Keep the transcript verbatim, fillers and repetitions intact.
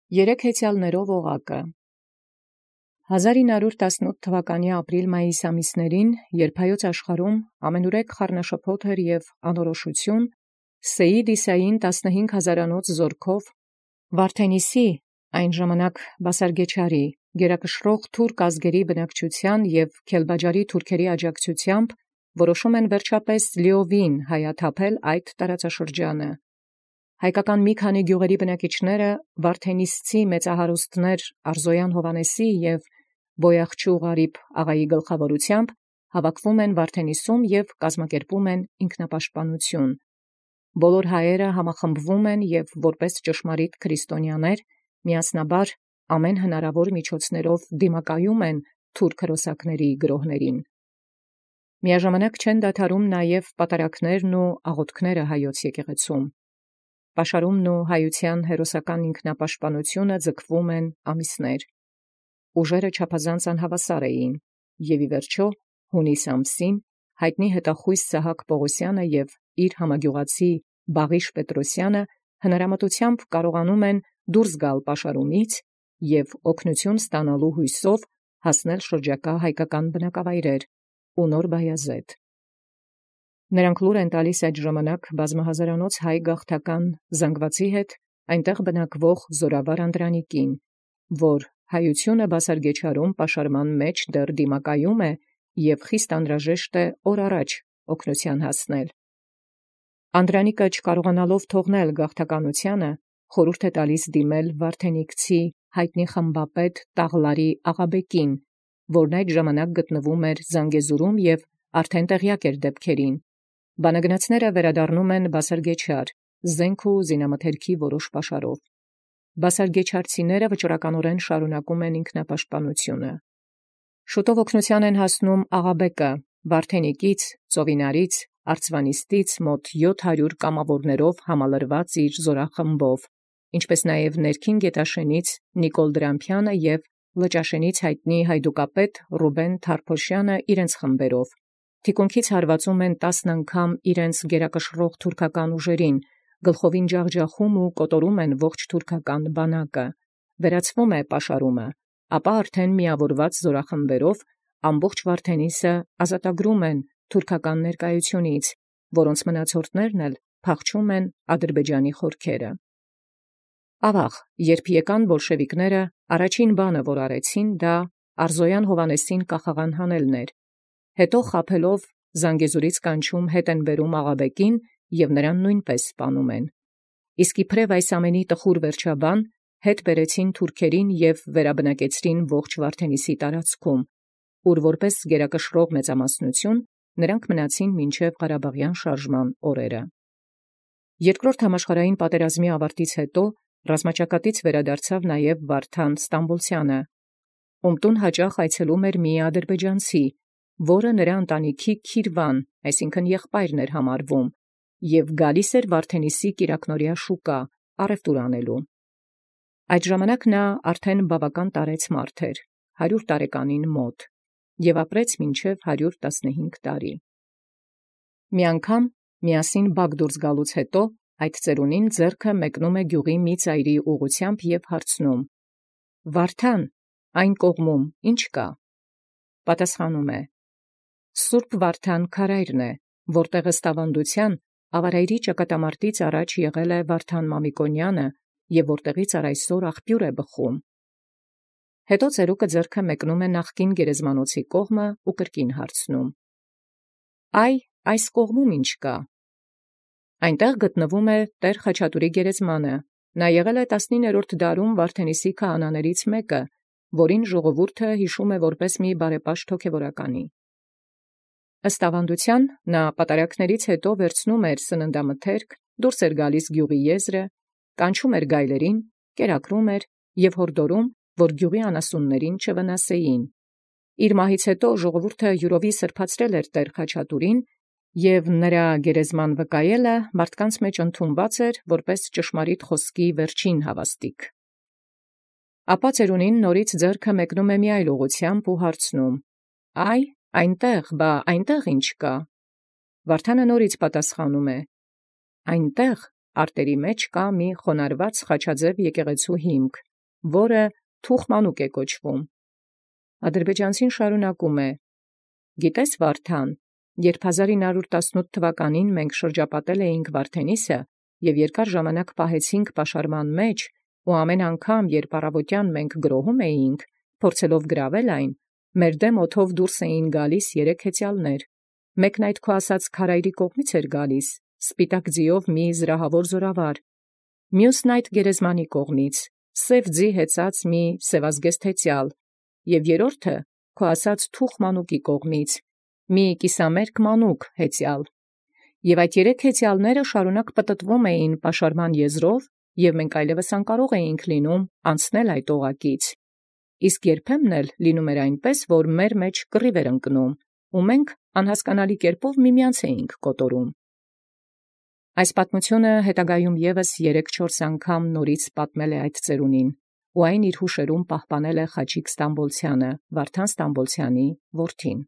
Երեք հեծյալներով օղակը։ հազար ինը հարյուր տասնութ թվականի ապրիլ-մայիս ամիսներին, երբ հայոց աշխարհում ամենուրեք խառնաշփոթ էր և անորոշություն, Սեյիդ Իսային տասնհինգ հազարանոց զորքով Վարդենիսի, այն ժամանակ բասարգեչարի, գերակշռող թուրք ազգերի բնակչության և Քելբաջարի թուրքերի աջակցությամբ որոշում են վերջապես լիովին հայաթափել այդ տարածաշրջանը։ Հայկական մի քանի գյուղերի բնակիչները վարդենիսցի մեծահարուստներ Արզոյան Հովհաննեսի և Բոյախչու Ղարիբ աղայի գլխավորությամբ հավաքվում են Վարդենիսում և կազմակերպում են ինքնապաշտպանություն։ Բոլոր հայերը համախմբվում են և որպես ճշմարիտ քրիստոնյաներ միասնաբար ամեն հնարավոր միջոցներով դիմակայում են թուրք հրոսակների գրոհներին։ Միաժամանակ չեն դադարում նաև պատարակներն ու աղոթքները հայոց եկեղեցում։ Պաշարումն ու հայության հերոսական ինքնապաշտպանությունը ձգվում են ամիսներ։ Ուժերը չափազանց անհավասար էին, և ի վերջո հունիս ամսին հայտնի հետախույզ Սահակ Պողոսյանը և իր համագյուղացի Բաղիշ Պետրոսյանը հնարամտությամբ կարողանում են դուրս գալ պաշարումից և օգնություն ստանալու հույսով հասնել շրջակա հայկական բնակավայրեր ու Նոր Բայազեդ։ Նրանք լուր են տալիս այդ ժամանակ բազմահազարանոց հայ գաղթական զանգվածի հետ այնտեղ բնակվող Զորավար Անդրանիկին, որ հայությունը բասարգեչարում պաշարման մեջ դեռ դիմակայում է և խիստ անհրաժեշտ է օր առաջ օգնության հասնել։ Անդրանիկը չկարողանալով թողնել գաղթականությանը, խորհուրդ է տալիս դիմել վարդենիկցի հայտնի խմբապետ Տաղլարի Աղաբեկին, որն այդ ժամանակ գտնվում էր Զանգեզուրում և արդեն տեղյակ էր դեպքերին։ Բանագնացները վերադառնում են բասարգեչար, զենք ու զինամթերքի որոշ պաշարով։ Բասարգեչարցիները վճռականորեն շարունակում են ինքնապաշտպանությունը։ Շուտով օգնության են հասնում Աղաբեկը Վարդենիկից, Ծովինարից, Արծվանիստից մոտ յոթ հարյուր կամավորներով համալրված իր զորախմբով, ինչպես նաև ներքին Գետաշենից Նիկոլ Դրամփյանը և Լճաշենից հայտնի հայդուկապետ Ռուբեն Թարփոշյանը իրենց խմբերով։ Թիկունքից հարվածում են տասն անգամ իրենց գերակշռող թուրքական ուժերին, գլխովին ջախջախում ու կոտորում են ողջ թուրքական բանակը։ Վերացվում է պաշարումը, ապա արդեն միավորված զորախմբերով ամբողջ Վարդենիսը ազատագրում են թուրքական ներկայությունից, որոնց մնացորդներն էլ փախչում են Ադրբեջանի խորքերը։ Ավաղ, երբ եկան բոլշևիկները, առաջին բանը, որ արեցին, դա Արզոյան Հովհաննեսին կախաղան հանելն էր։ Հետո խաբելով Զանգեզուրից կանչում հետ են բերում Աղաբեկին և նրան նույնպես սպանում են։ Իսկ իբրև այս ամենի տխուր վերջաբան հետ բերեցին թուրքերին և վերաբնակեցրին ողջ Վարդենիսի տարածքում, ուր որպես գերակշռող մեծամասնություն նրանք մնացին մինչև Ղարաբաղյան շարժման օրերը։ Երկրորդ համաշխարհային պատերազմի ավարտից հետո ռազմաճակատից վերադարձավ նաև Վարդան Ստամբոլցյանը, ում տուն հաճախ այցելում էր մի ադրբեջանցի, որը նրա ընտանիքի քիրվան, այսինքն եղբայրն էր համարվում, և գալիս էր Վարդենիսի կիրակնօրյա շուկա առևտուր անելու։ Այդ ժամանակ նա արդեն բավական տարեց մարդ էր, հարյուր տարեկանին մոտ, և ապրեց մինչև հարյուր տասնհինգ տարի։ Մի անգամ միասին բակ դուրս գալուց հետո այդ ծերունին ձեռքը մեկնում է գյուղի մի ծայրի ուղղությամբ և հարցնում. «Վարդան, այն կողմում ի՞նչ կա»։ Պատասխանում է. «Սուրբ Վարդան քարայրն է, որտեղ ըստ ավանդության Ավարայրի ճակատամարտից առաջ եղել է Վարդան Մամիկոնյանը և որտեղից առ այսօր աղբյուր է բխում»։ Հետո ծերուկը ձեռքը մեկնում է նախկին գերեզմանոցի կողմը ու կրկին հարցնում. «Այ, այս կողմում ի՞նչ կա»։ Այնտեղ գտնվում է Տեր Խաչատուրի գերեզմանը, նա եղել է տասնիններորդ դարում Վարդենիսի քահանաներից մեկը, որին ժողովուրդը հիշում է որպես մի բարեպաշտ հոգևորականի։ Ըստ ավանդության նա պատարակներից հետո վերցնում էր սննդամթերք, դուրս էր գալիս գյուղի եզրը, կանչում էր գայլերին, կերակրում էր և հորդորում, որ գյուղի անասուններին չվնասեին։ Իր մահից հետո ժողովուրդը յուրովի սրբացրել էր Տեր Խաչատուրին, և նրա գերեզման վկայելը մարդկանց մեջ ընդունված էր որպես ճշմարիտ խոսքի վերջին հավաստիք։ Ապա ծերունին նորից ձեռքը մեկնում է մի այլ ուղղությամբ ու հարցնում. «Այ, այնտեղ, բա այնտեղ ի՞նչ կա»։ Վարդանը նորից պատասխանում է. «Այնտեղ արտերի մեջ կա մի խոնարհված խաչաձև եկեղեցու հիմք, որը Թուխմանուկ է կոչվում։ Ադրբեջանցին շարունակում է. «Գիտես Վարդան, երբ հազար ինը հարյուր տասնութ թվականին մենք շրջապատել էինք Վարդենիսը և երկար ժամանակ պահեցինք պաշարման մեջ, ու ամեն անգամ, երբ առավոտյան մենք գրոհում էինք, փորձելով գրավել այն, մեր դեմ օդով դուրս էին գալիս երեք հեծյալներ. մեկն այդ քո ասած քարայրի կողմից էր գալիս, սպիտակ ձիով մի զրահավոր զորավար, մյուսն այդ գերեզմանի կողմից, սև ձի հեծած մի սևազգեստ հեծյալ, և երրորդը քո ասած Թուխմանուկի կողմից, մի կիսամերկ մանուկ հեծյալ։ Եւ այդ երեք հեծյալները շարունակ պտտվում էին պաշարման եզրով, և մենք այլևս անկարող էինք լինում անցնել այդ օղակից։ Իսկ երբեմն էլ լինում էր այնպես, որ մեր մեջ կռիվ էր ընկնում, ու մենք անհասկանալի կերպով միմյանց էինք կոտորում»։ Այս պատմությունը հետագայում ևս երեք-չորս անգամ նորից պատմել է այդ ծերունին, ու այն իր հուշերում պահպանել է Խաչիկ Ստամբոլցյանը, Վարդան Ստամբոլցյանի որդին։